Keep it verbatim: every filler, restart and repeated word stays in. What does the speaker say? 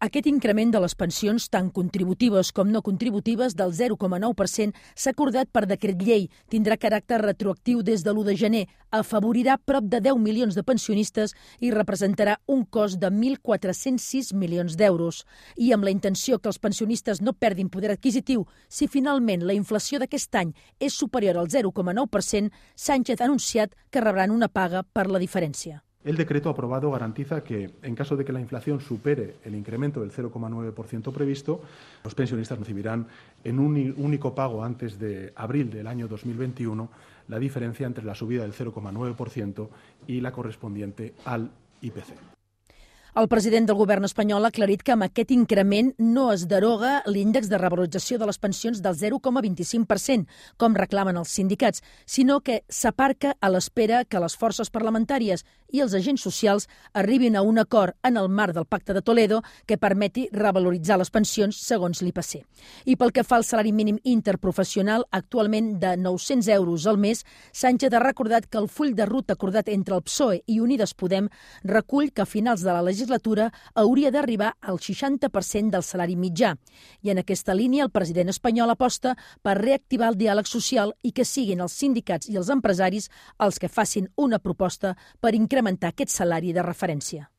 Aquest increment de les pensions, tant contributives com no contributives, del zero coma nou per cent, s'ha acordat per decret llei. Tindrà caràcter retroactiu des de l'u de gener. Afavorirà prop de deu milions de pensionistes i representarà un cost de mil quatre-cents sis milions d'euros. I amb la intenció que els pensionistes no perdin poder adquisitiu, si finalment la inflació d'aquest any és superior al zero coma nou per cent, Sánchez ha anunciat que rebran una paga per la diferència. El decreto aprobado garantiza que, en caso de que la inflación supere el incremento del cero coma nueve por ciento previsto, los pensionistas recibirán en un único pago antes de abril del año dos mil veintiuno la diferencia entre la subida del cero coma nueve por ciento y la correspondiente al I P C. El president del govern espanyol ha aclarit que amb aquest increment no es deroga l'índex de revalorització de les pensions del zero coma vint-i-cinc per cent, com reclamen els sindicats, sinó que s'aparca a l'espera que les forces parlamentàries i els agents socials arribin a un acord en el marc del Pacte de Toledo que permeti revaloritzar les pensions segons l'I P C. I pel que fa al salari mínim interprofessional, actualment de nou-cents euros al mes, Sánchez ha recordat que el full de ruta acordat entre el P S O E i Unides Podem recull que a finals de la legislatura legislatura hauria d'arribar al seixanta per cent del salari mitjà. I en aquesta línia el president espanyol aposta per reactivar el diàleg social i que siguin els sindicats i els empresaris els que facin una proposta per incrementar aquest salari de referència.